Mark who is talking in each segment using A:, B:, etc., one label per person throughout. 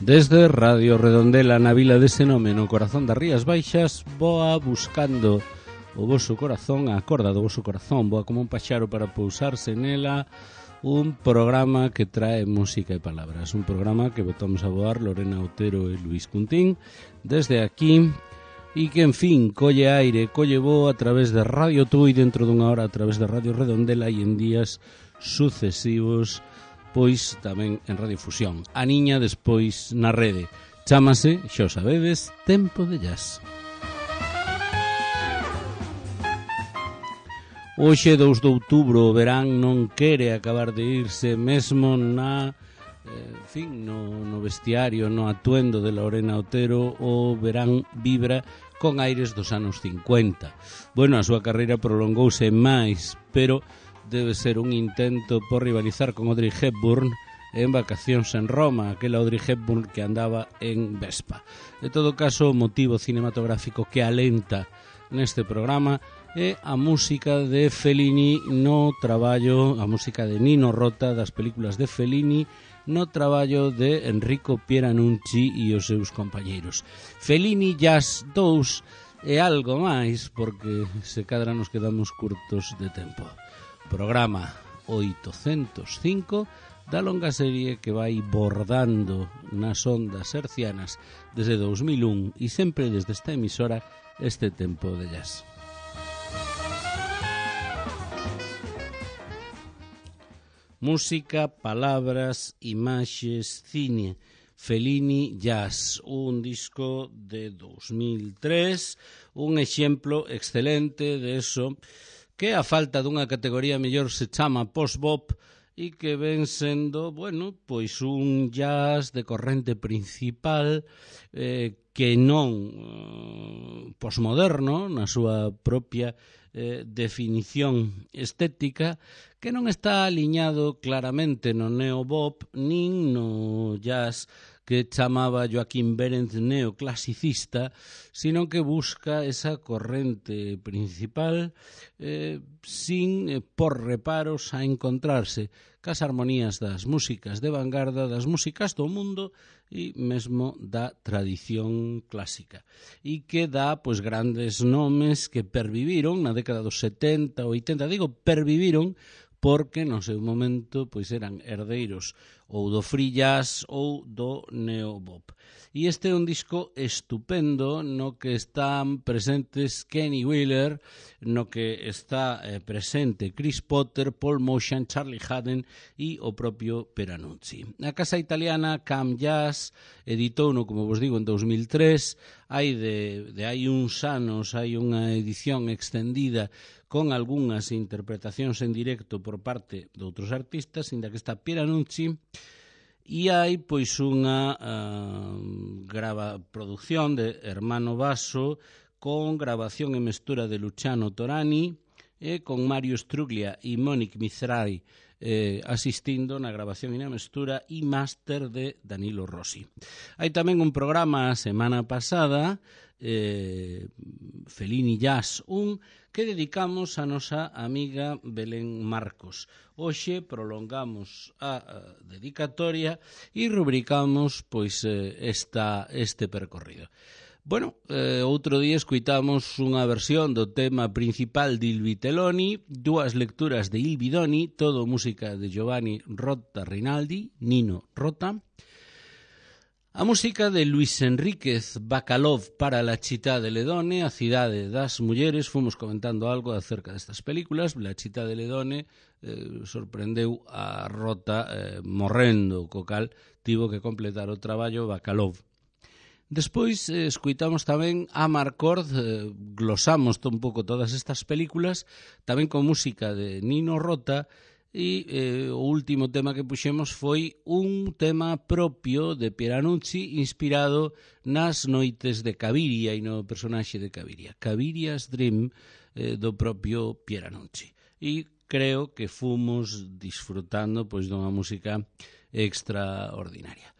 A: Desde Radio Redondela na vila de Senome, no corazón das Rías Baixas, voa buscando o voso corazón, a corda do voso corazón, voa como un paxaro para pousarse nela, un programa que trae música e palabras, un programa que botamos a voar Lorena Otero e Luis Cuntín desde aquí, e que, en fin, colle aire, colle voo a través de Radio Tui, dentro dunha hora a través de Radio Redondela e en días sucesivos pois tamén en Radiofusión. A niña despois na rede. Chámase, xa o sabedes, Tempo de Jazz. Hoxe, 2 de outubro, o verán non quere acabar de irse, mesmo na, no vestiario, no atuendo de Lorena Otero, o verán vibra con aires dos anos 50. Bueno, a súa carreira prolongouse máis, pero debe ser un intento por rivalizar con Audrey Hepburn en Vacacións en Roma, aquela Audrey Hepburn que andaba en Vespa. De todo caso, o motivo cinematográfico que alenta neste programa é a música de Fellini no traballo, a música de Nino Rota das películas de Fellini no traballo de Enrico Pieranunzi e os seus compañeiros. Fellini Jazz 2 e algo máis, porque se cadra nos quedamos curtos de tempo. Programa 805 da longa serie que vai bordando nas ondas hercianas desde 2001 e sempre desde esta emisora este Tempo de Jazz. Música, palabras, imaxes, cine. Fellini Jazz, un disco de 2003, un exemplo excelente de eso que a falta dunha categoría mellor se chama post-bop e que ven sendo, bueno, pois un jazz de corrente principal que non posmoderno na súa propia definición estética, que non está aliñado claramente no neobop nin no jazz que chamaba Joaquín Berendt neoclasicista, sino que busca esa corrente principal sin por reparos a encontrarse cas armonías das músicas de vanguarda, das músicas do mundo e mesmo da tradición clásica, e que dá pois grandes nomes que perviviron na década dos 70, 80, digo perviviron porque no seu momento pois eran herdeiros ou do free jazz ou do neobop. E este é un disco estupendo no que están presentes Kenny Wheeler, no que está presente Chris Potter, Paul Motian, Charlie Haden e o propio Pieranunzi. A casa italiana Cam Jazz editouno, como vos digo, en 2003. Hai uns anos hai unha edición extendida con algunhas interpretacións en directo por parte de outros artistas, inda que está Pieranunzi, e hai pois unha producción de Hermano Basso con grabación e mestura de Luciano Torani e con Mario Struglia e Monique Mizrahi asistindo na grabación e na mestura e máster de Danilo Rossi. Hai tamén un programa a semana pasada, Fellini Jazz 1, que dedicamos a nosa amiga Belén Marcos. Hoxe prolongamos a dedicatoria e rubricamos pois este percorrido. Bueno, outro día escuitamos unha versión do tema principal de Il Vitelloni, dúas lecturas de Il Bidoni, todo música de Giovanni Rota Rinaldi, Nino Rota. A música de Luis Enríquez Bacalov para La Città delle Donne, a cidade das mulleres. Fomos comentando algo acerca destas películas. La Città delle Donne sorprendeu a Rota morrendo, co cal tivo que completar o traballo Bacalov. Despois escuitamos tamén a Marcord, glosamos un pouco todas estas películas, tamén con música de Nino Rota. E o último tema que puxemos foi un tema propio de Pieranunzi inspirado nas noites de Caviria e no personaxe de Caviria, Caviria's Dream, do propio Pieranunzi. E creo que fomos disfrutando pois dunha música extraordinaria.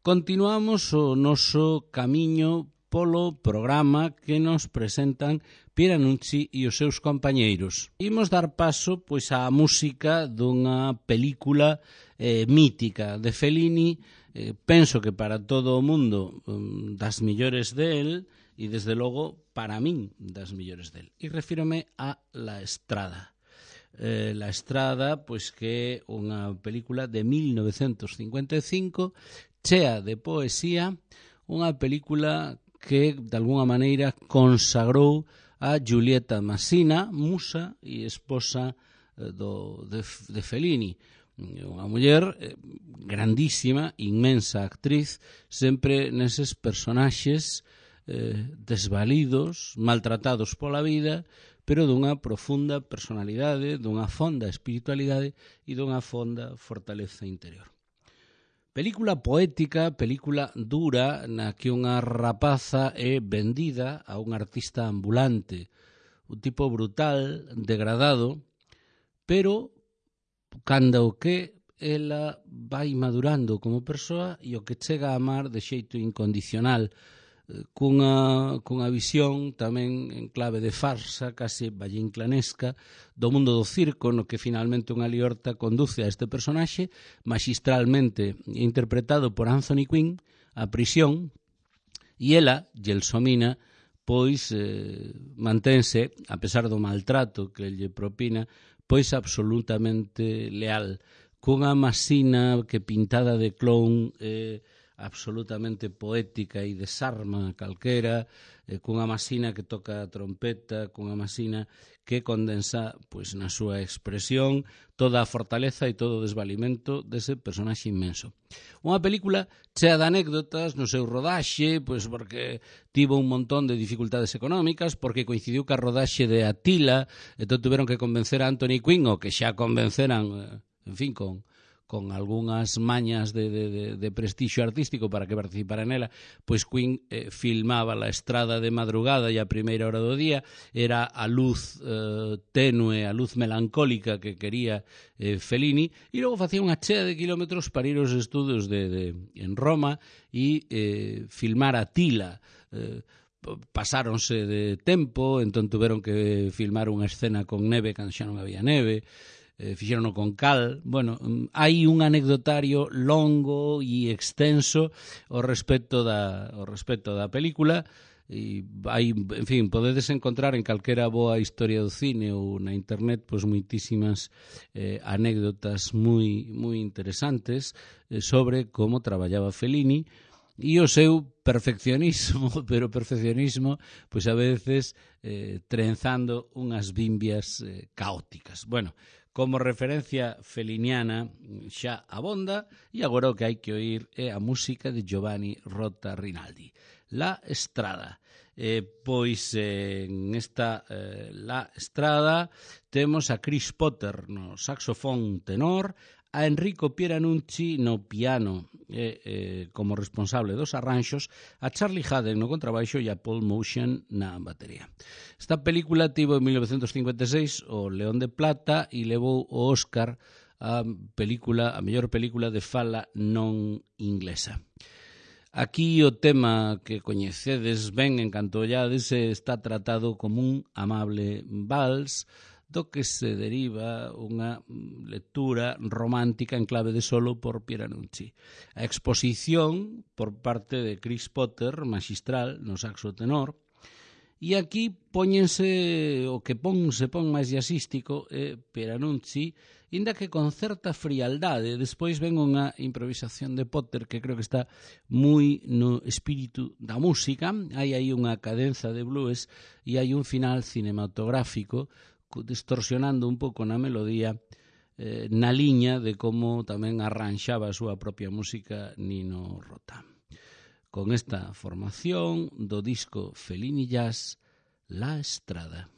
A: Continuamos o noso camiño polo programa que nos presentan Pieranucci e os seus compañeiros. Imos dar paso pois á música dunha película mítica de Fellini, penso que para todo o mundo das millores del, e desde logo para min das millores del. E refírome a La Estrada. La Estrada, pois que é unha película de 1955, chea de poesía, unha película que, de alguna maneira, consagrou a Giulietta Massina, musa e esposa de Fellini. Unha muller grandísima, inmensa actriz, sempre neses personaxes desvalidos, maltratados pola vida, pero dunha profunda personalidade, dunha fonda espiritualidade e dunha fonda fortaleza interior. Película poética, película dura, na que unha rapaza é vendida a un artista ambulante, un tipo brutal, degradado, pero cando o que ela vai madurando como persoa e o que chega a amar de xeito incondicional, cunha visión tamén en clave de farsa, case vallinclanesca, do mundo do circo, no que finalmente unha liorta conduce a este personaxe, magistralmente interpretado por Anthony Quinn, a prisión, e ela, Gelsomina, pois mantense, a pesar do maltrato que lle propina, pois absolutamente leal, cunha Masina que pintada de clown absolutamente poética e desarma calquera, cunha Masina que toca a trompeta, cunha Masina que condensa pois na súa expresión toda a fortaleza e todo o desvalimento dese personaxe inmenso. Unha película chea de anécdotas no seu rodaxe, pois porque tivo un montón de dificultades económicas, porque coincidiu ca rodaxe de Attila, entón tuveron que convencer a Anthony Quinn, o que xa convenceran, en fin, con algunhas mañas de prestixio artístico para que participara nela, pois Quinn filmaba La Estrada de madrugada e a primeira hora do día, era a luz tenue, a luz melancólica que quería Fellini, e logo facía unha chea de kilómetros para ir aos estudios en Roma e filmar Attila. Pasáronse de tempo, entón tuveron que filmar unha escena con neve cando xa non había neve, fixerono con cal. Bueno, hai un anecdotario longo e extenso ao respecto da película, e hai, en fin, podedes encontrar en calquera boa historia do cine ou na internet pois moitísimas anécdotas moi interesantes sobre como traballaba Fellini e o seu perfeccionismo, pero perfeccionismo pois a veces trenzando unhas bimbias caóticas. Bueno, como referencia feliniana xa abonda, e agora o que hai que oír é a música de Giovanni Rota Rinaldi, La Estrada. Pois en esta La Estrada temos a Chris Potter no saxofón tenor, a Enrico Pieranucci no piano como responsable dos arranxos, a Charlie Haden no contrabaixo e a Paul Motion na batería. Esta película tivo en 1956 o León de Plata e levou o Óscar a mellor película de fala non inglesa. Aquí o tema que coñecedes ben en canto ollades está tratado como un amable vals, do que se deriva unha lectura romántica en clave de solo por Pieranucci. A exposición por parte de Chris Potter, magistral, no saxo tenor, e aquí póñense o que se pon máis jazzístico Pieranucci, inda que con certa frialdade. Despois ven unha improvisación de Potter que creo que está moi no espírito da música. Hai aí unha cadenza de blues e hai un final cinematográfico distorsionando un pouco na melodía, na liña de como tamén arranxaba a súa propia música Nino Rota. Con esta formación do disco Fellini Jazz, La Estrada.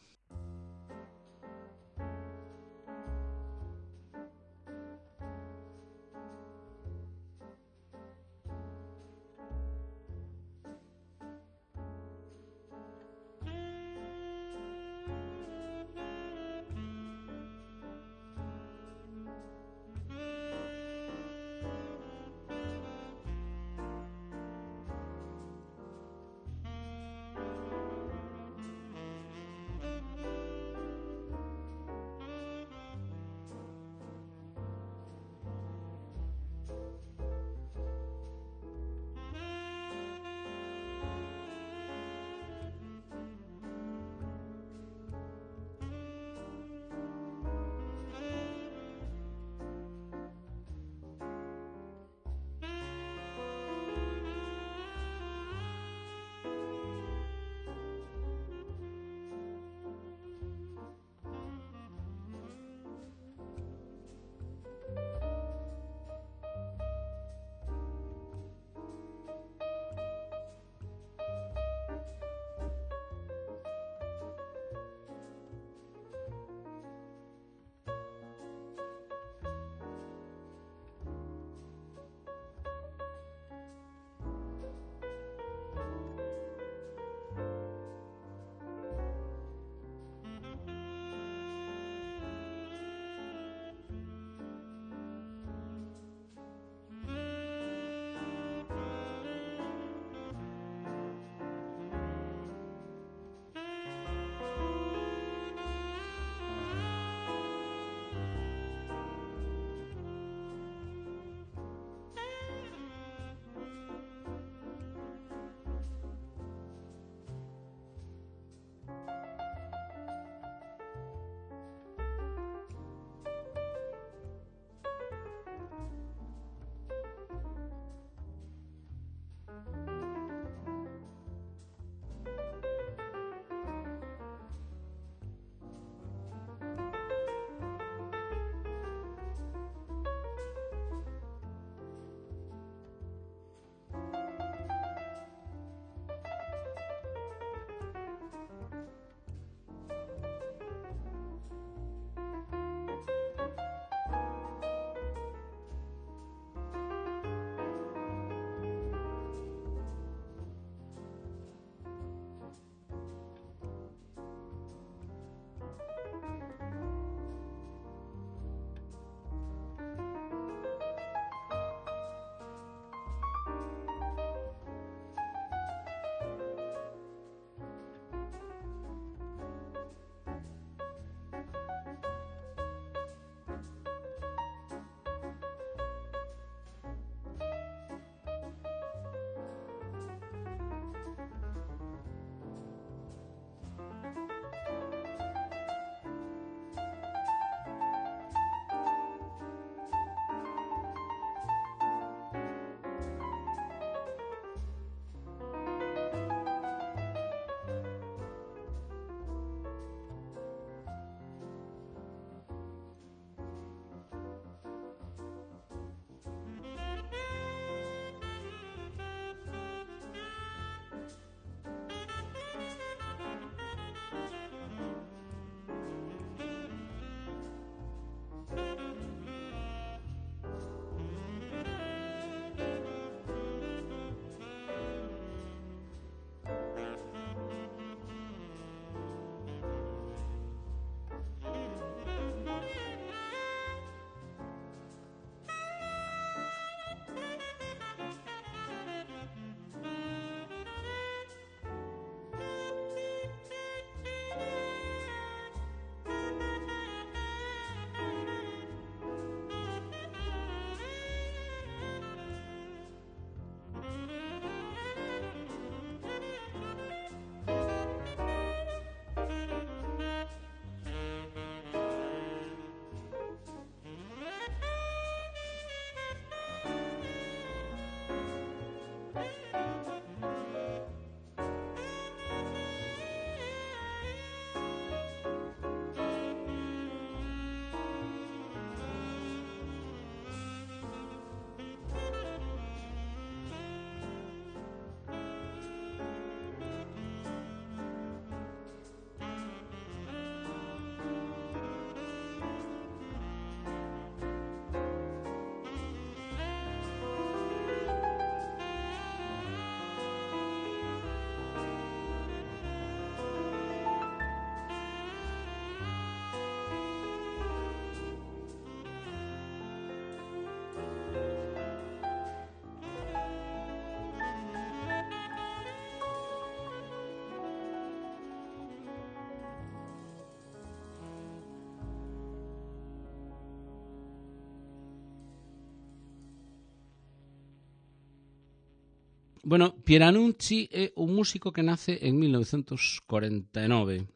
A: Bueno, Pieranunci é un músico que nace en 1949.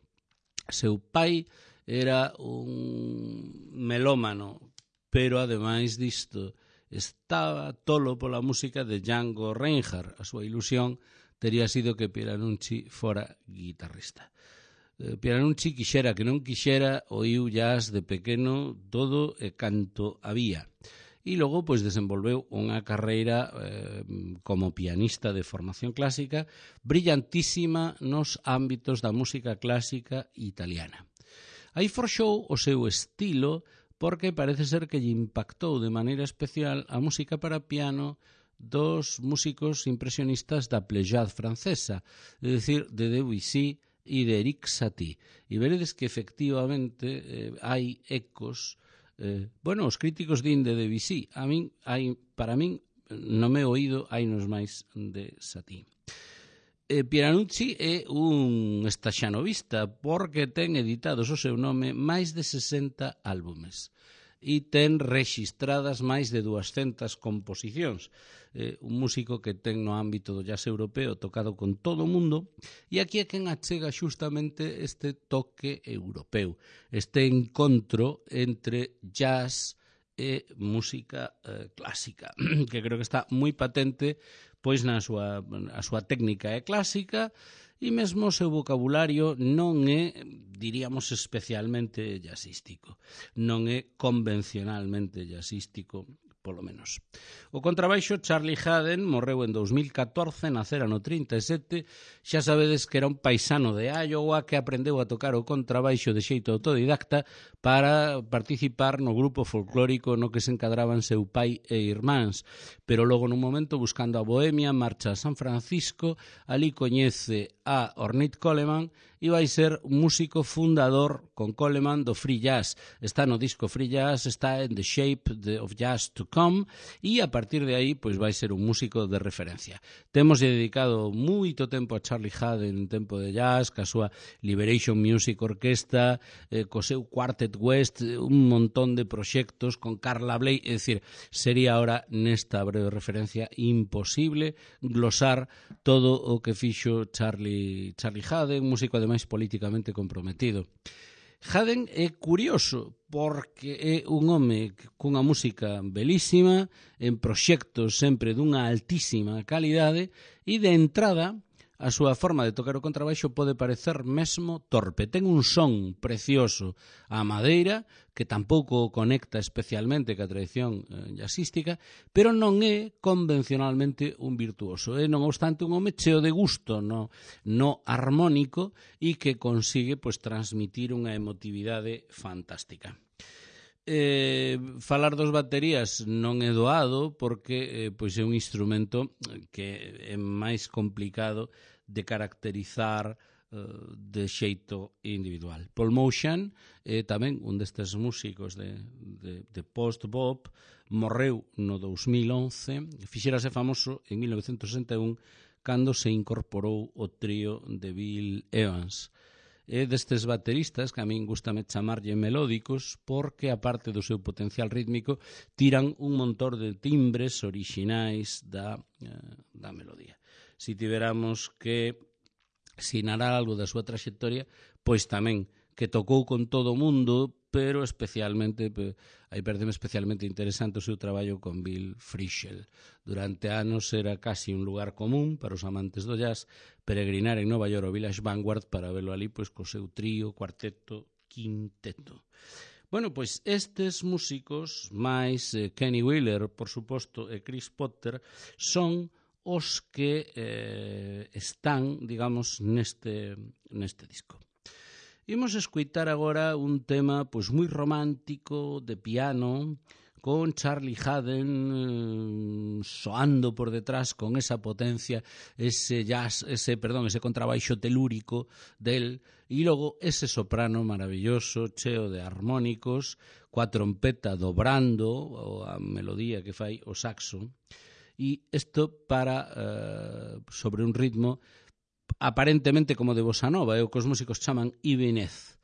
A: Seu pai era un melómano, pero ademais disto estaba tolo pola música de Django Reinhardt. A súa ilusión tería sido que Pieranunci fora guitarrista. Pieranunci, quixera que non quixera, oíu jazz de pequeno todo e canto había. E logo pois desenvolveu unha carreira como pianista de formación clásica brillantísima nos ámbitos da música clásica italiana. Aí forxou o seu estilo porque parece ser que lle impactou de maneira especial a música para piano dos músicos impresionistas da Pléiade francesa, é dicir, de Debussy e de Erik Satie. E veredes que efectivamente hai ecos. Os críticos din de Debussy. Para min, no meu oído, hai nos máis de Satie. Pieranunci é un estaxanovista porque ten editados o seu nome máis de 60 álbumes e ten rexistradas máis de 200 composicións. Un músico que ten no ámbito do jazz europeo tocado con todo o mundo, e aquí é quen achega xustamente este toque europeu, este encontro entre jazz e música clásica, que creo que está moi patente pois a súa técnica é clásica e mesmo o seu vocabulario non é, diríamos, especialmente jazzístico, non é convencionalmente jazzístico, polo menos. O contrabaixo Charlie Haden morreu en 2014, nacera no 37, xa sabedes que era un paisano de Iowa que aprendeu a tocar o contrabaixo de xeito autodidacta para participar no grupo folclórico no que se encadraban seu pai e irmáns, pero logo nun momento buscando a Bohemia marcha a San Francisco, ali coñece a Ornette Coleman e vai ser un músico fundador con Coleman do free jazz. Está no disco Free Jazz, está en The Shape of Jazz to Come e a partir de aí pois vai ser un músico de referencia. Temos dedicado moito tempo a Charlie Haden en tempo de jazz, ca súa Liberation Music Orquesta, co seu Quartet West, un montón de proxectos con Carla Bley, é dicir, sería ahora nesta breve referencia imposible glosar todo o que fixo Charlie Haden, músico ademais políticamente comprometido. Haden é curioso porque é un home cunha música belísima, en proxectos sempre dunha altísima calidade e de entrada a súa forma de tocar o contrabaixo pode parecer mesmo torpe. Ten un son precioso a madeira que tampouco conecta especialmente ca tradición jazzística, pero non é convencionalmente un virtuoso. É, non obstante, un home cheo de gusto no armónico e que consigue pois transmitir unha emotividade fantástica. Falar dos baterías non é doado porque pois é un instrumento que é máis complicado de caracterizar de xeito individual. Paul Motian é tamén un destes músicos de post-bop, morreu no 2011, fixérase famoso en 1961 cando se incorporou o trío de Bill Evans. É destes bateristas que a min gustame chamarlle melódicos porque, aparte do seu potencial rítmico, tiran un montón de timbres orixinais da melodía. Se tiveramos que sinalar algo da súa traxectoria, pois tamén que tocou con todo o mundo, pero especialmente, aí pareceme especialmente interesante o seu traballo con Bill Frisell. Durante anos era casi un lugar común para os amantes do jazz peregrinar en Nova York o Village Vanguard para verlo ali pois co seu trío, cuarteto, quinteto. Bueno, pois estes músicos, máis Kenny Wheeler, por suposto, e Chris Potter, son os que están, digamos, neste disco. Imos escoitar agora un tema pois moi romántico de piano con Charlie Haden soando por detrás con esa potencia, ese contrabaixo telúrico del e logo ese soprano maravilloso, cheo de armónicos, coa trompeta dobrando a melodía que fai o saxo. E isto para sobre un ritmo aparentemente como de bossa nova, é o que os músicos chaman ibenez.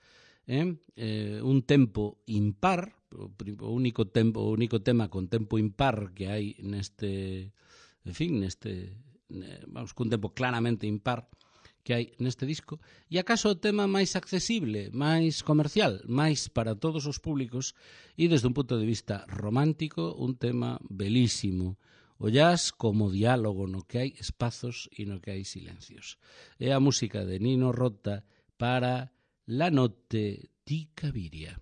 A: Un tempo impar, o único tema con tempo impar que hai neste cun tempo claramente impar que hai neste disco, e acaso o tema máis accesible, máis comercial, máis para todos os públicos, e desde un punto de vista romántico, un tema belísimo. O jazz como diálogo no que hai espazos e no que hai silencios. É a música de Nino Rota para La notte di Cabiria.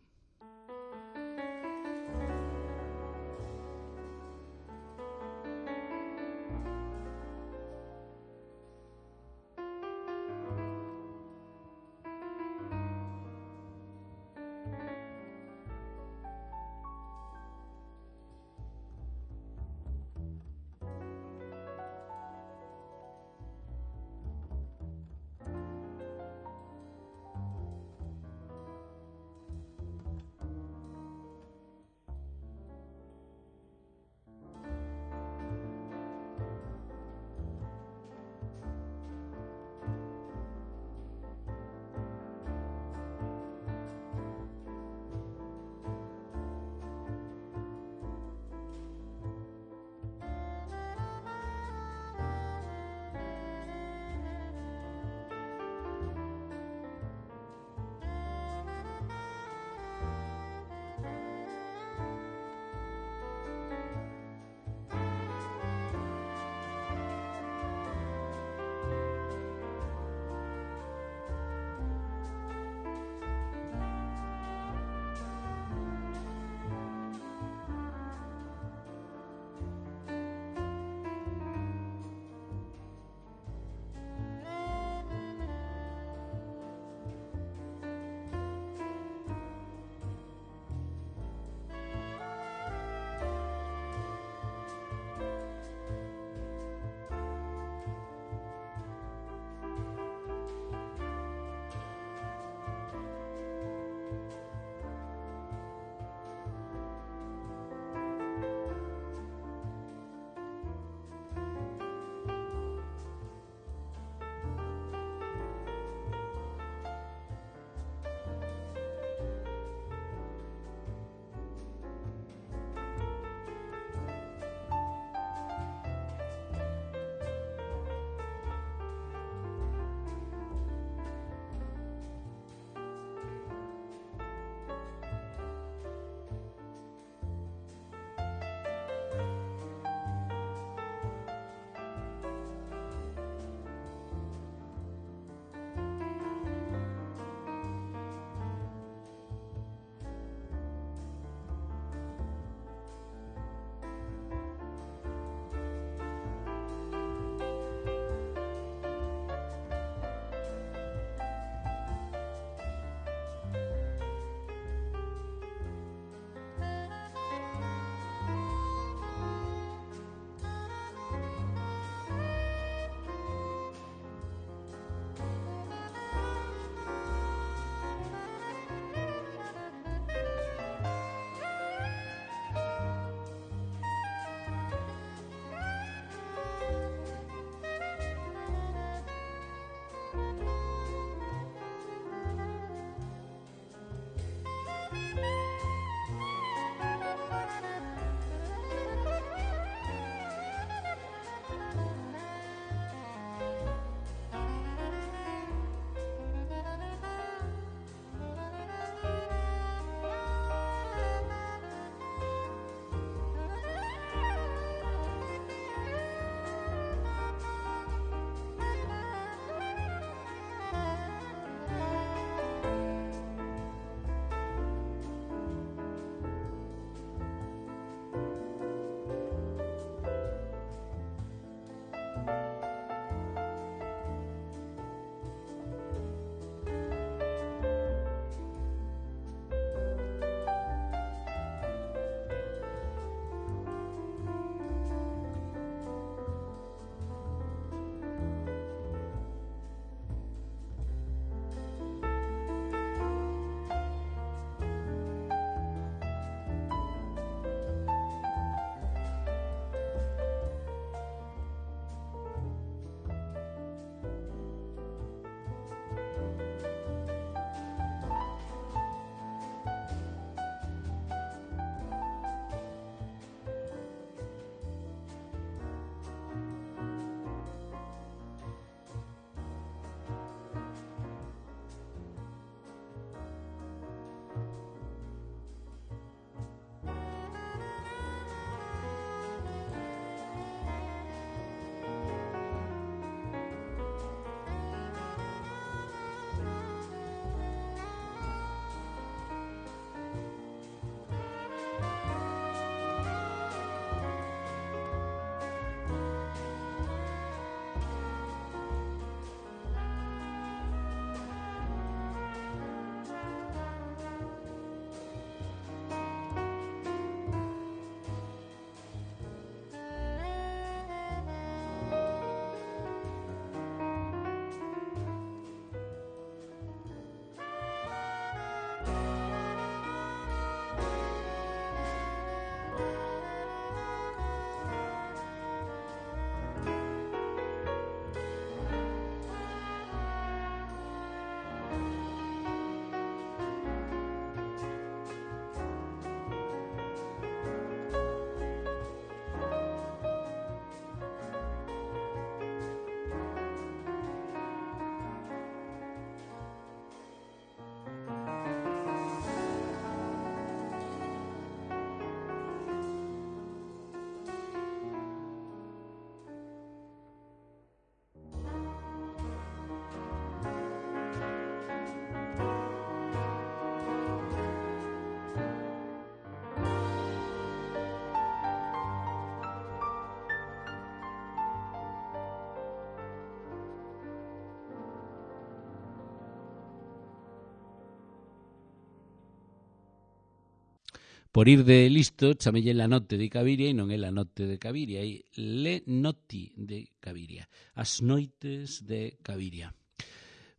A: por ir de listo, chamelle La notte de Caviria e non é La notte de Caviria, é Le notti de Caviria, As noites de Caviria.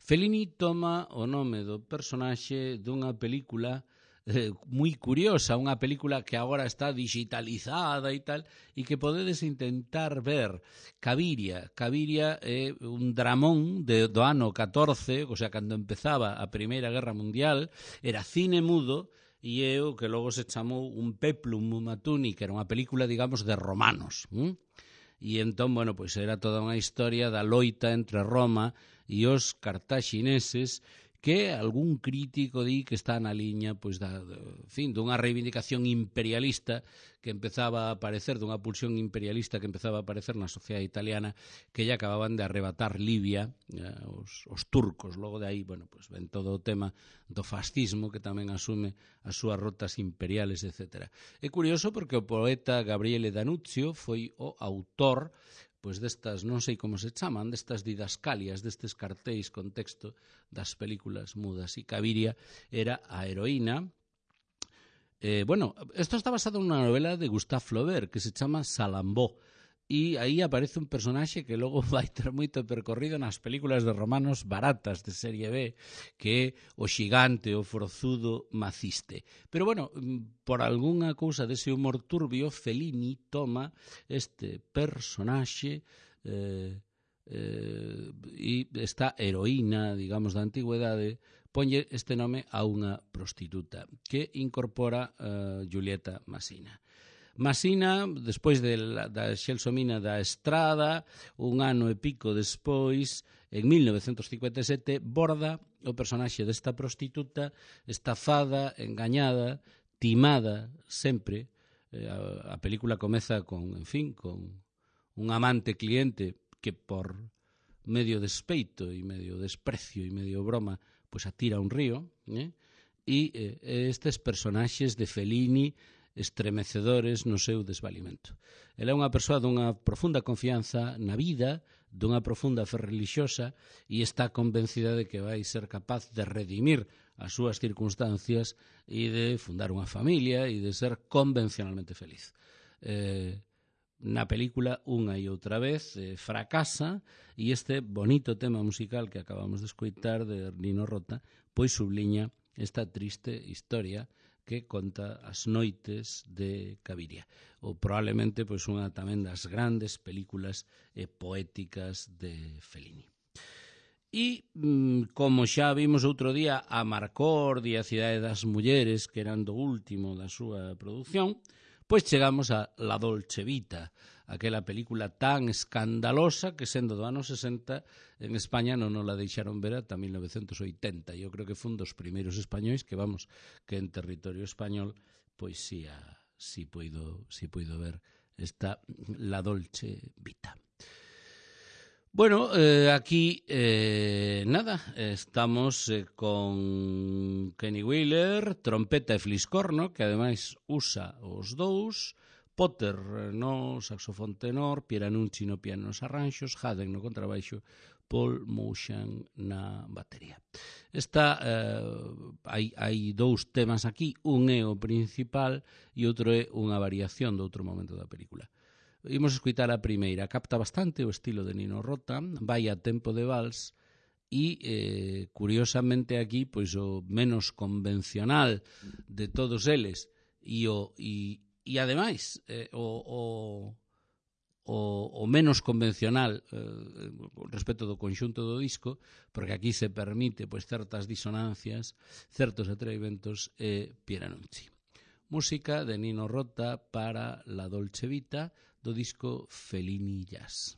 A: Fellini toma o nome do personaxe dunha película moi curiosa, unha película que agora está digitalizada e tal, e que podedes intentar ver. Caviria é un dramón do ano 14, o sea, cando empezaba a Primeira Guerra Mundial, era cine mudo, e é o que logo se chamou un peplum mumatuni, que era unha película, digamos, de romanos. E entón, bueno, pois era toda unha historia da loita entre Roma e os cartaxineses, que algún crítico di que está na liña pois dunha reivindicación imperialista que empezaba a aparecer, dunha pulsión imperialista que empezaba a aparecer na sociedade italiana, que lle acababan de arrebatar Libia os turcos. Logo de aí, bueno, pois ven todo o tema do fascismo, que tamén asume as súas rotas imperiales, etc. É curioso porque o poeta Gabriele D'Annunzio foi o autor pois destas, non sei como se chaman, destas didascalias, destes cartéis con texto das películas mudas. E Caviria era a heroína. Isto está basado nunha novela de Gustave Flaubert que se chama Salambó. E aí aparece un personaxe que logo vai ter moito percorrido nas películas de romanos baratas de serie B, que é o xigante, o forzudo Maciste. Pero bueno, por algunha cousa dese humor turbio, Fellini toma este personaxe e esta heroína, digamos, da antigüedade, ponlle este nome a unha prostituta que incorpora Giulietta Massina. Masina, despois da Xelsomina da Estrada, un ano e pico despois, en 1957, borda o personaxe desta prostituta, estafada, engañada, timada, sempre. A película comeza con un amante cliente que por medio despeito e medio desprecio e medio broma, pois atira a un río, e estes personaxes de Fellini estremecedores no seu desvalimento. Ela é unha persoa dunha profunda confianza na vida, dunha profunda fe relixiosa, e está convencida de que vai ser capaz de redimir as súas circunstancias e de fundar unha familia e de ser convencionalmente feliz. Na película, unha e outra vez, fracasa, e este bonito tema musical que acabamos de escoitar de Nino Rota, pois subliña esta triste historia que conta As noites de Caviria, ou probablemente pois unha tamén das grandes películas poéticas de Fellini. E, como xa vimos outro día, a Marcor e a Cidade das Mulleres, que eran do último da súa produción, pois chegamos a La Dolce Vita, aquela película tan escandalosa que, sendo do ano 60, en España non nos la deixaron ver ata 1980. Eu creo que foi un dos primeiros españois que en territorio español pois si puido ver esta La Dolce Vita. Bueno, aquí estamos con Kenny Wheeler, trompeta e fliscorno, que ademais usa os dous, Potter no saxofón tenor, Pieranunzi no piano nos arranxos, Haden no contrabaixo, Paul Moushan na batería. Hai dous temas aquí, un é o principal e outro é unha variación do outro momento da película. Imos escoitar a primeira, capta bastante o estilo de Nino Rota, vai a tempo de vals e, curiosamente aquí, pois o menos convencional de todos eles e ademais o menos convencional respecto do conxunto do disco, porque aquí se permite pois certas disonancias, certos atrevimentos e Pieranunzi. Música de Nino Rota para La Dolce Vita do disco Fellini Jazz.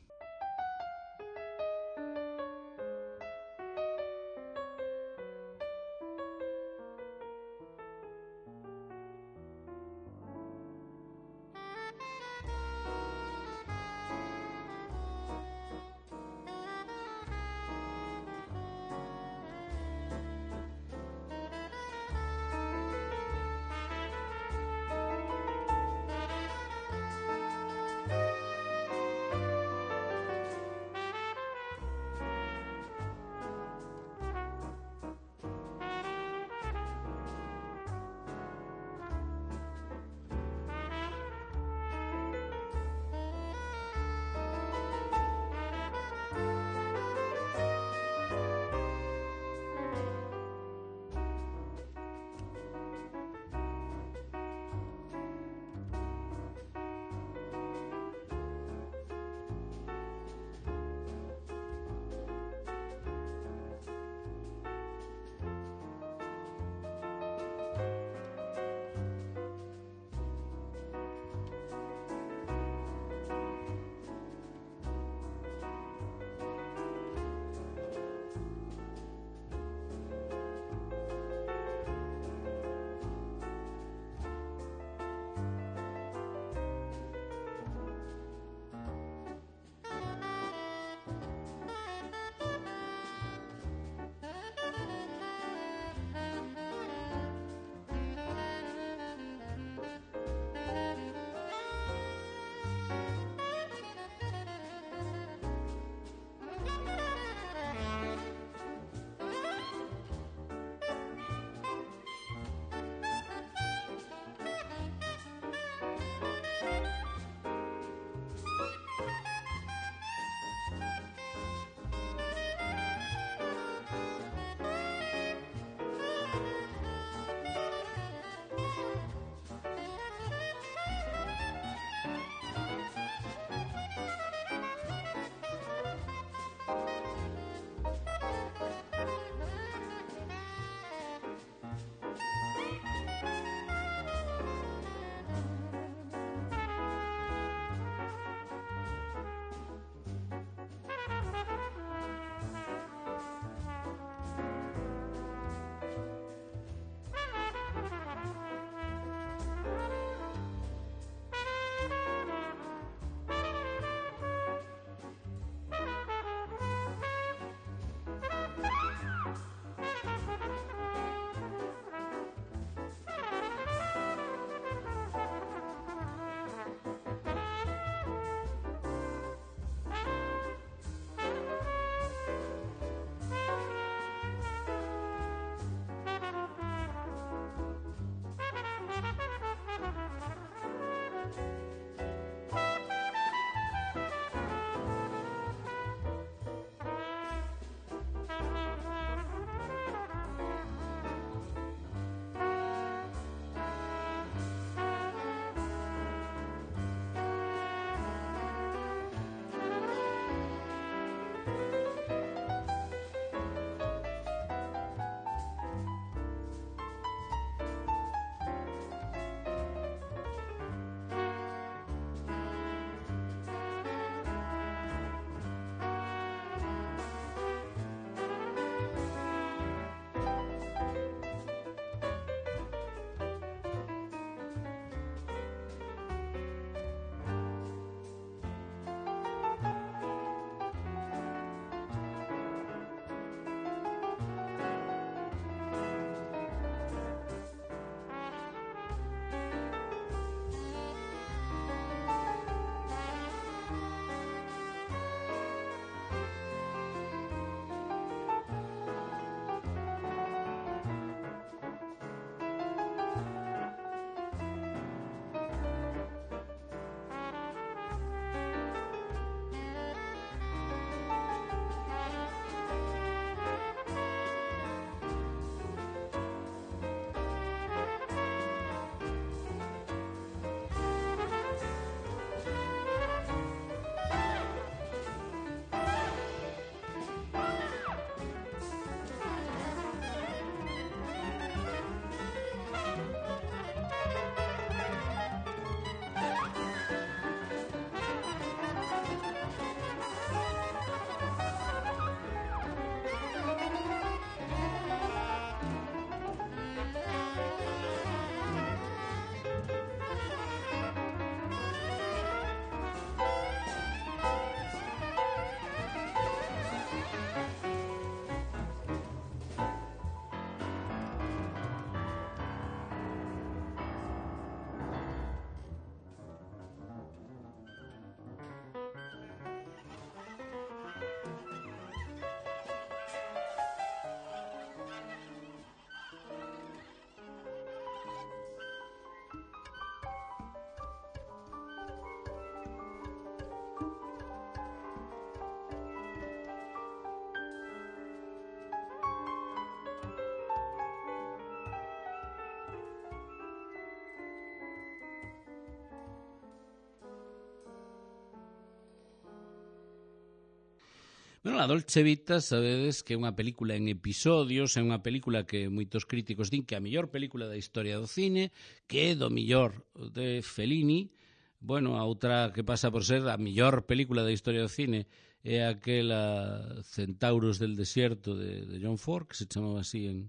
A: Bueno, a Dolce Vita, sabedes que é unha película en episodios, é unha película que moitos críticos din que é a mellor película da historia do cine, que é do mellor de Fellini. Bueno, a outra que pasa por ser a mellor película da historia do cine é aquela Centauros del Desierto de John Ford, que se chamaba así en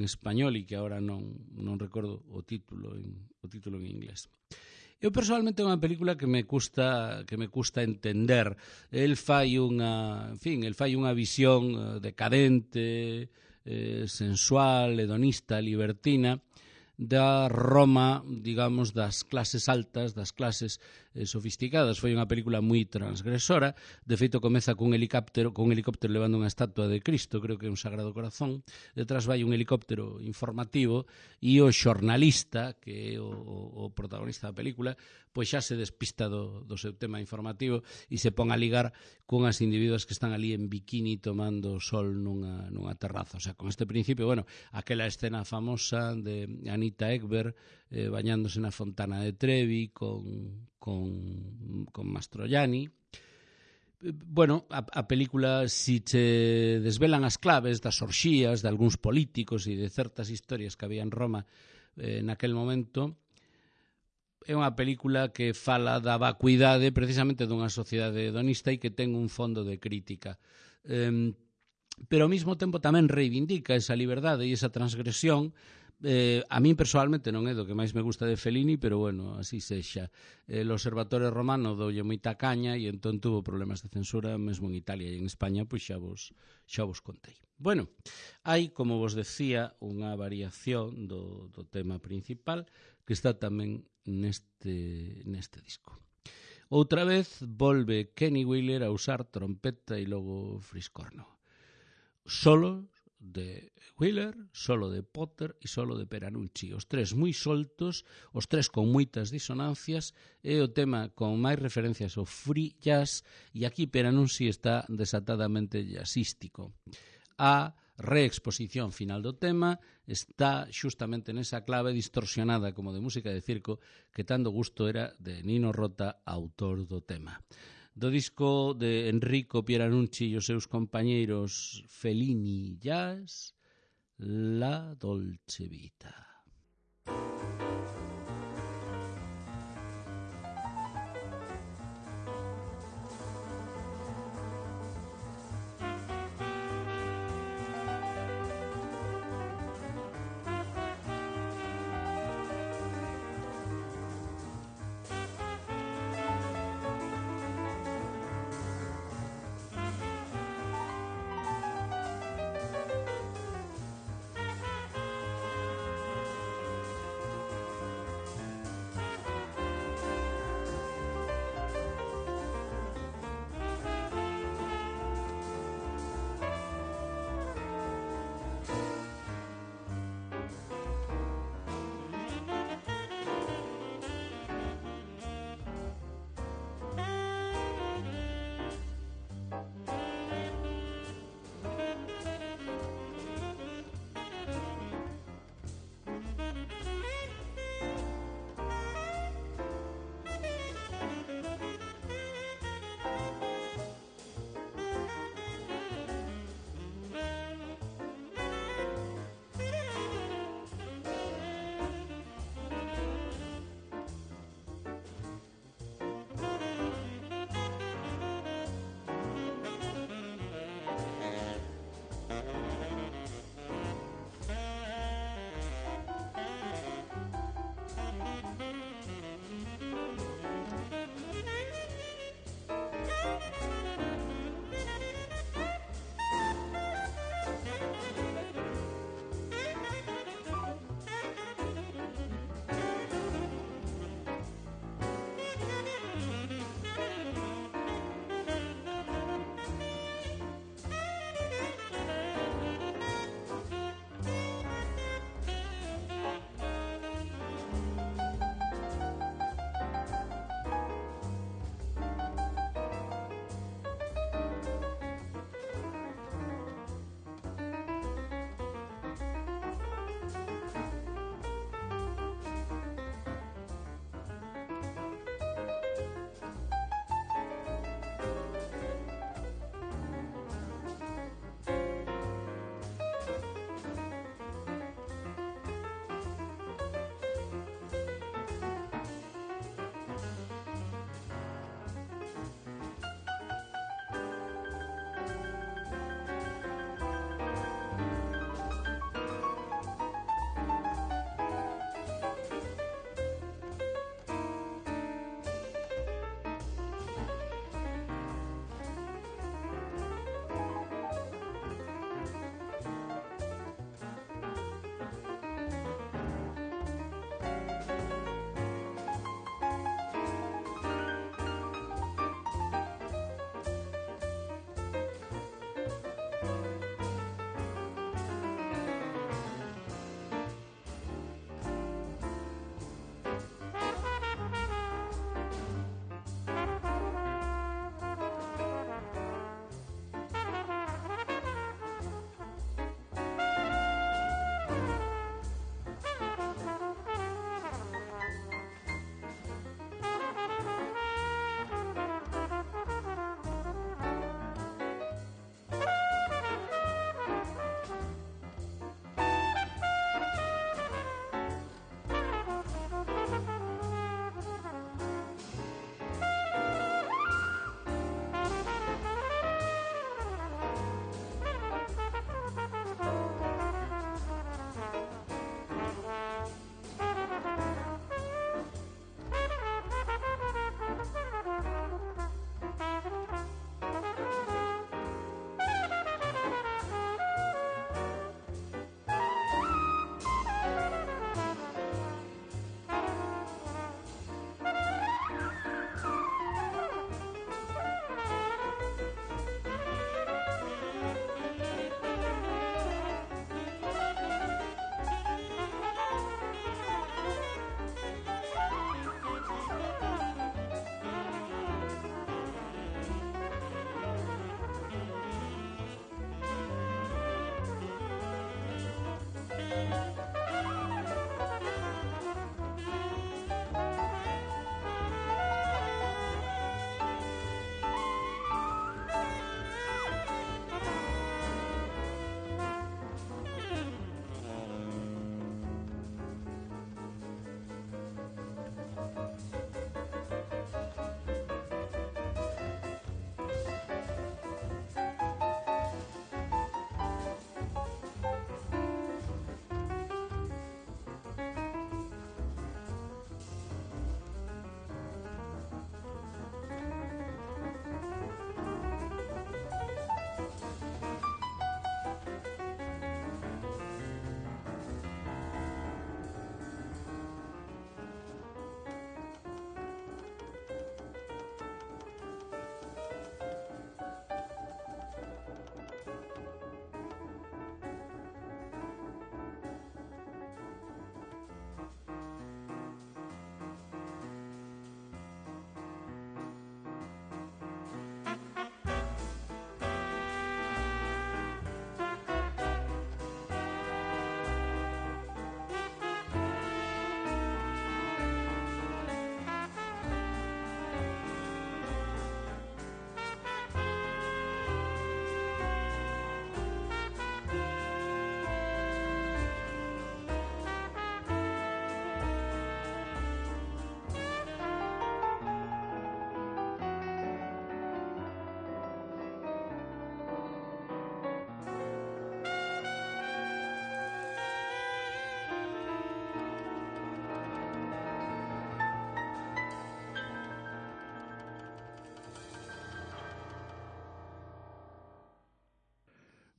A: español e que agora non recordo o título en inglés. Eu personalmente é unha película que me custa entender. El fai unha visión decadente, sensual, hedonista, libertina da Roma, digamos, das clases altas, das clases sofisticadas. Foi unha película moi transgresora. De feito, comeza cun helicóptero levando unha estatua de Cristo, creo que é un Sagrado Corazón. Detrás vai un helicóptero informativo e o xornalista, que é o protagonista da película, pois xa se despista do seu tema informativo e se pon a ligar cunhas individuas que están ali en bikini tomando sol nunha terraza. O sea, con este principio, bueno, aquela escena famosa de Anita Ekberg bañándose na fontana de Trevi con Mastroianni. Bueno, a película, si che desvelan as claves das orxías de algúns políticos e de certas historias que había en Roma naquel momento, é unha película que fala da vacuidade precisamente dunha sociedade hedonista e que ten un fondo de crítica. Pero ao mesmo tempo tamén reivindica esa liberdade e esa transgresión. A min personalmente non é do que máis me gusta de Fellini, pero bueno, así sexa. El Observatorio Romano doulle moita caña e entón tuvo problemas de censura mesmo en Italia e en España, pois xa vos contei. Bueno, hai, como vos decía, unha variación do tema principal que está tamén neste disco. Outra vez volve Kenny Wheeler a usar trompeta e logo friscorno. Solo de Wheeler, solo de Potter e solo de Peranucci. Os tres moi soltos, os tres con moitas disonancias, é o tema con máis referencias ao free jazz e aquí Peranucci está desatadamente jazzístico. A reexposición final do tema está xustamente nesa clave distorsionada como de música de circo que tanto gusto era de Nino Rota, autor do tema. Do disco de Enrico Pieranunci e os seus compañeiros Fellini Jazz, La Dolce Vita.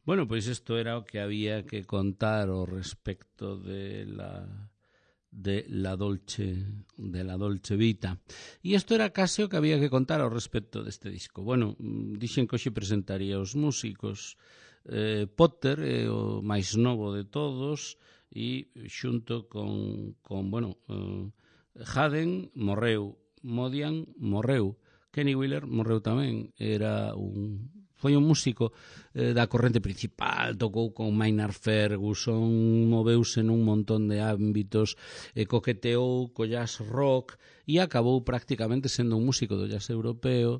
A: Bueno, pois isto era o que había que contar ao respecto de la Dolce Vita. E isto era case o que había que contar ao respecto deste disco. Bueno, dixen que hoxe presentaría os músicos. Potter é o máis novo de todos e xunto con Haden morreu, Modian morreu, Kenny Wheeler morreu tamén, foi un músico da corrente principal, tocou con Maynard Ferguson, moveuse nun montón de ámbitos, coqueteou co jazz rock e acabou prácticamente sendo un músico do jazz europeo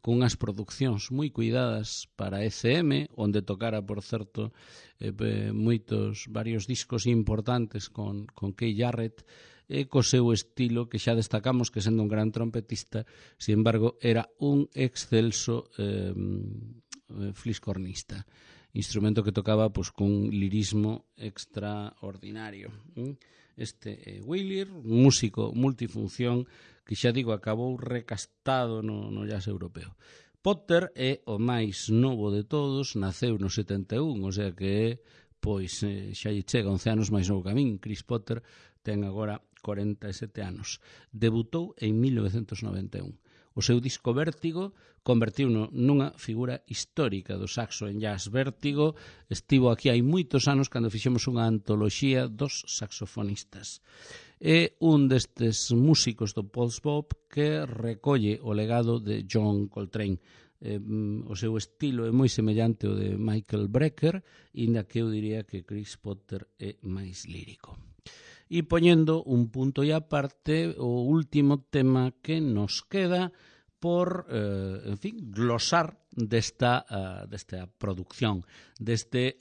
A: cunhas produccións moi cuidadas para ECM, onde tocara, por certo, varios discos importantes con Keith Jarrett, co seu estilo que xa destacamos que sendo un gran trompetista, sin embargo, era un excelso fliscornista, instrumento que tocaba cun lirismo extraordinario. Este Wheeler, músico multifunción que xa digo acabou recastado no jazz europeo. Potter é o máis novo de todos, naceu no 71, o sea que xa lle chega 11 anos máis novo que a min. Chris Potter ten agora 47 anos. Debutou en 1991. O seu disco Vértigo convertiuno nunha figura histórica do saxo en jazz. Vértigo estivo aquí hai moitos anos cando fixemos unha antoloxía dos saxofonistas. É un destes músicos do post-bop que recolle o legado de John Coltrane. O seu estilo é moi semellante ao de Michael Brecker, inda que eu diría que Chris Potter é máis lírico. E poñendo un punto e aparte, o último tema que nos queda por, glosar desta producción, deste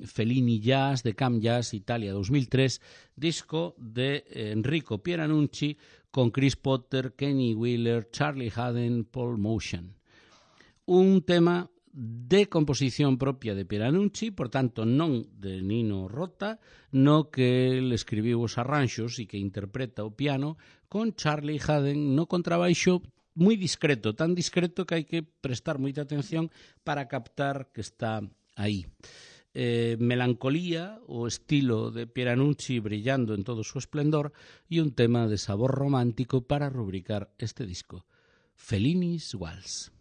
A: Fellini Jazz, de Cam Jazz Italia 2003, disco de Enrico Pieranucci con Chris Potter, Kenny Wheeler, Charlie Haden, Paul Motian. Un tema de composición propia de Pieranucci, por tanto non de Nino Rota, no que ele escribiu os arranxos e que interpreta o piano, con Charlie Haden no contrabaixo, moi discreto, tan discreto que hai que prestar moita atención para captar que está aí. Melancolía, o estilo de Pieranucci brillando en todo o seu esplendor, e un tema de sabor romántico para rubricar este disco, Fellini's Waltz.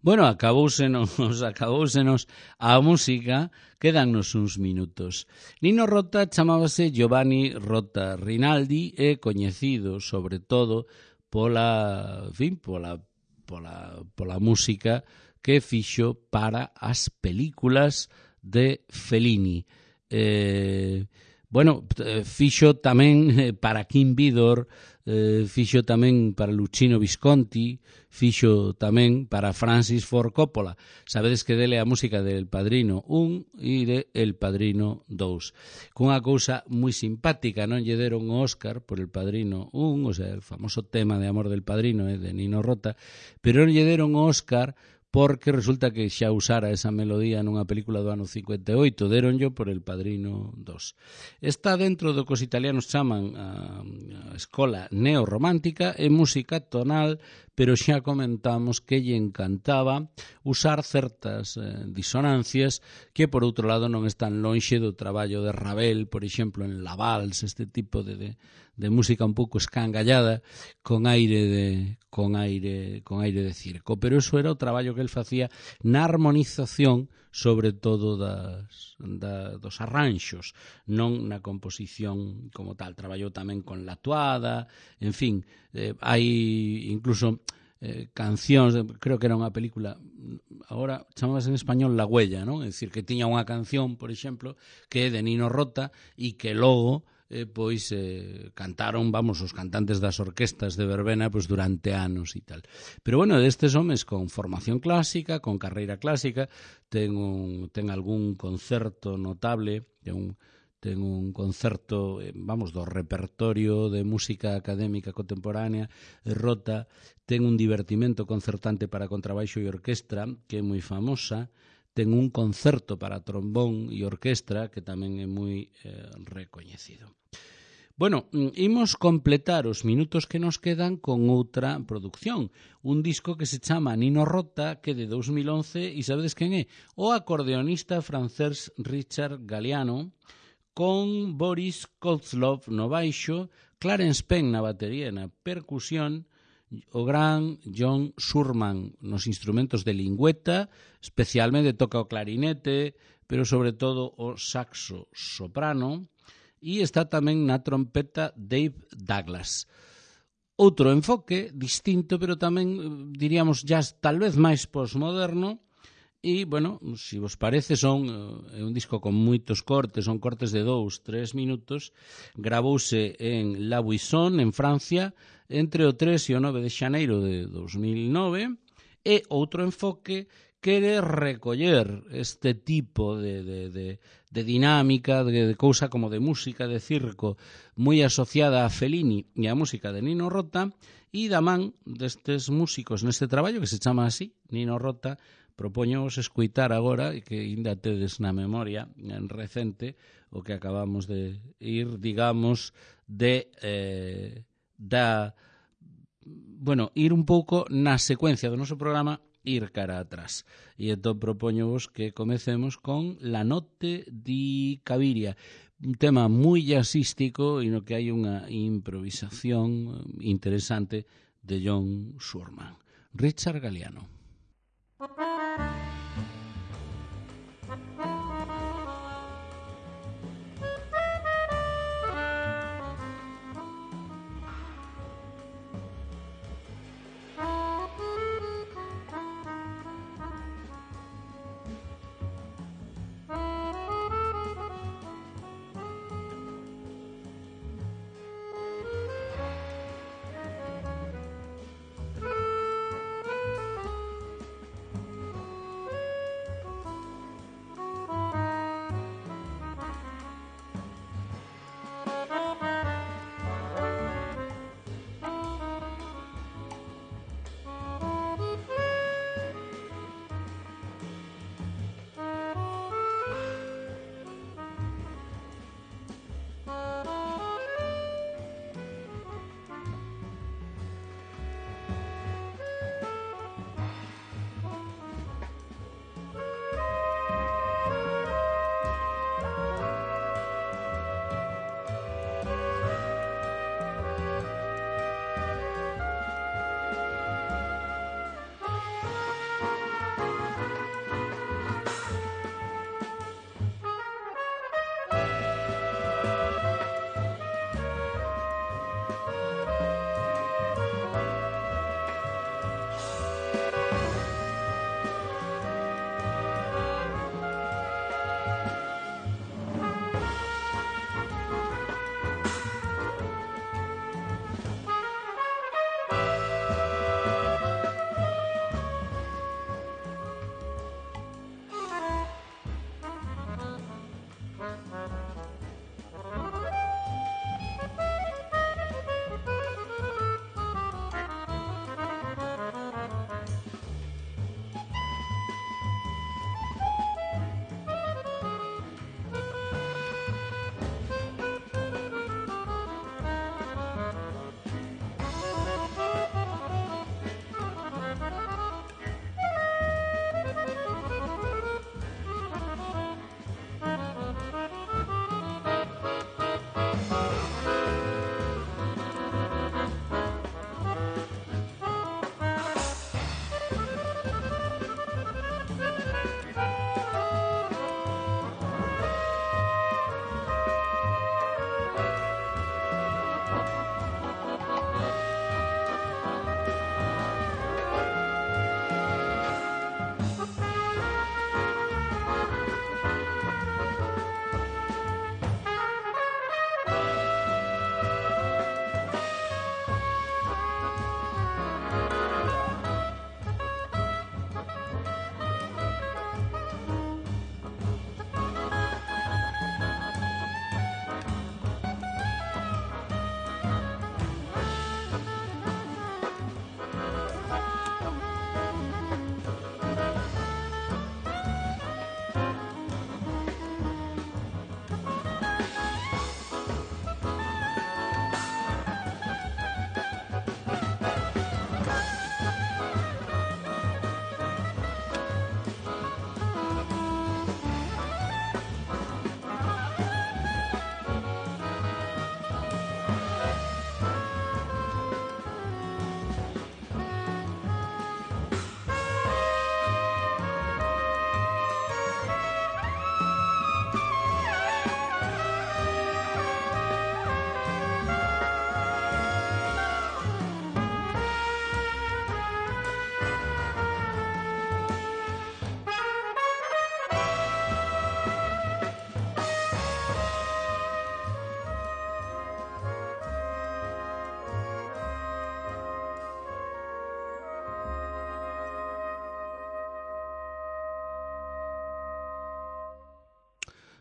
A: Bueno, acabousenos a música, quedannos uns minutos. Nino Rota chamábase Giovanni Rota Rinaldi e coñecido sobre todo pola música que fixo para as películas de Fellini. Fixo tamén para Kim Vidor, fixo tamén para Luchino Visconti, fixo tamén para Francis Ford Coppola. Sabedes que dele a música del Padrino 1 e de El Padrino 2. Cunha cousa moi simpática, non lle deron o Óscar por El Padrino 1, o sea, el famoso tema de Amor del Padrino de Nino Rota, pero non lle deron o Óscar porque resulta que xa usara esa melodía nunha película do ano 58, deronllo por El Padrino 2. Está dentro do que os italianos chaman a escola neorromántica e música tonal, pero xa comentamos que lle encantaba usar certas disonancias que, por outro lado, non están lonxe do traballo de Ravel, por exemplo, en La Valse, este tipo de música un pouco escangallada, con aire de circo. Pero eso era o traballo que el facía na armonización, sobre todo dos arranxos, non na composición como tal. Traballou tamén con La Tuada, en fin, hai incluso cancións, creo que era unha película, agora chamábase en español La Huella, non? É dicir, que tiña unha canción, por exemplo, que é de Nino Rota e que logo cantaron, os cantantes das orquestas de verbena durante anos e tal. Pero bueno, destes homes con formación clásica, con carreira clásica, ten algún concerto notable, ten un concerto, do repertorio de música académica contemporánea, Rota, ten un divertimento concertante para contrabaixo e orquestra, que é moi famosa, ten un concerto para trombón e orquestra, que tamén é moi recoñecido. Bueno, imos completar os minutos que nos quedan con outra producción, un disco que se chama Nino Rota, que é de 2011, e sabedes quen é? O acordeonista francés Richard Galliano, con Boris Kozlov no baixo, Clarence Penn na batería e na percusión, o gran John Surman nos instrumentos de lingüeta, especialmente toca o clarinete, pero sobre todo o saxo soprano, e está tamén na trompeta Dave Douglas. Outro enfoque distinto, pero tamén, diríamos, jazz tal vez máis postmoderno, e, bueno, se vos parece, é un disco con moitos cortes, son cortes de 2-3 minutos, gravouse en La Buisson, en Francia, entre o 3 e o 9 de xaneiro de 2009, e outro enfoque quere recoller este tipo de dinámica, de cousa como de música de circo moi asociada a Fellini e a música de Nino Rota, e da man destes músicos neste traballo que se chama así, Nino Rota, propoños escoitar agora, e que ainda tedes na memoria en recente, o que acabamos de ir, digamos, ir un pouco na secuencia do noso programa, ir cara atrás. E entón propoñovos que comecemos con La Notte di Cabiria, un tema moi jazzístico e no que hai unha improvisación interesante de John Surman. Richard Galliano.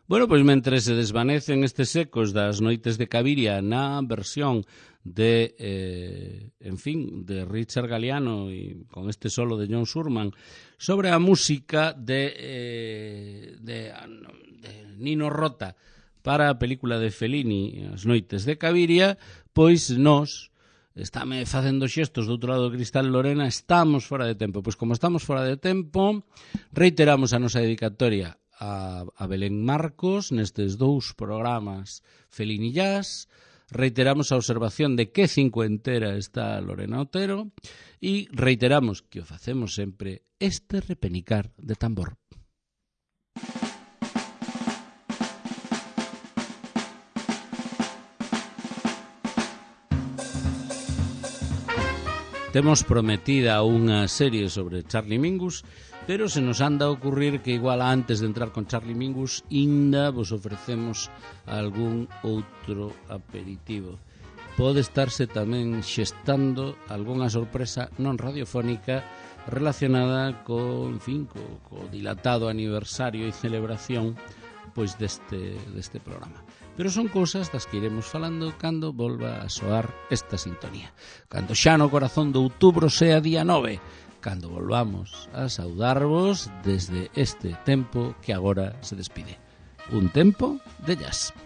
A: Bueno, pois mentre se desvanecen estes ecos das noites de Caviria na versión de, de Richard Galliano e con este solo de John Surman sobre a música de Nino Rota para a película de Fellini, As noites de Caviria, pois nós, estáme facendo xestos do outro lado do cristal Lorena, estamos fora de tempo. Pois como estamos fora de tempo, reiteramos a nosa dedicatoria a Belén Marcos nestes 2 programas Fellini Jazz, reiteramos a observación de que cincuentera está Lorena Otero e reiteramos que o facemos sempre este repenicar de tambor. Temos prometida unha serie sobre Charlie Mingus, pero se nos anda a ocurrir que igual antes de entrar con Charlie Mingus ainda vos ofrecemos algún outro aperitivo. Pode estarse tamén xestando algunha sorpresa non radiofónica relacionada co dilatado aniversario e celebración pois deste programa. Pero son cousas das que iremos falando cando volva a soar esta sintonía. Cando xa no corazón de outubro sea día 9, cando volvamos a saudarvos desde este tempo que agora se despide. Un tempo de jazz.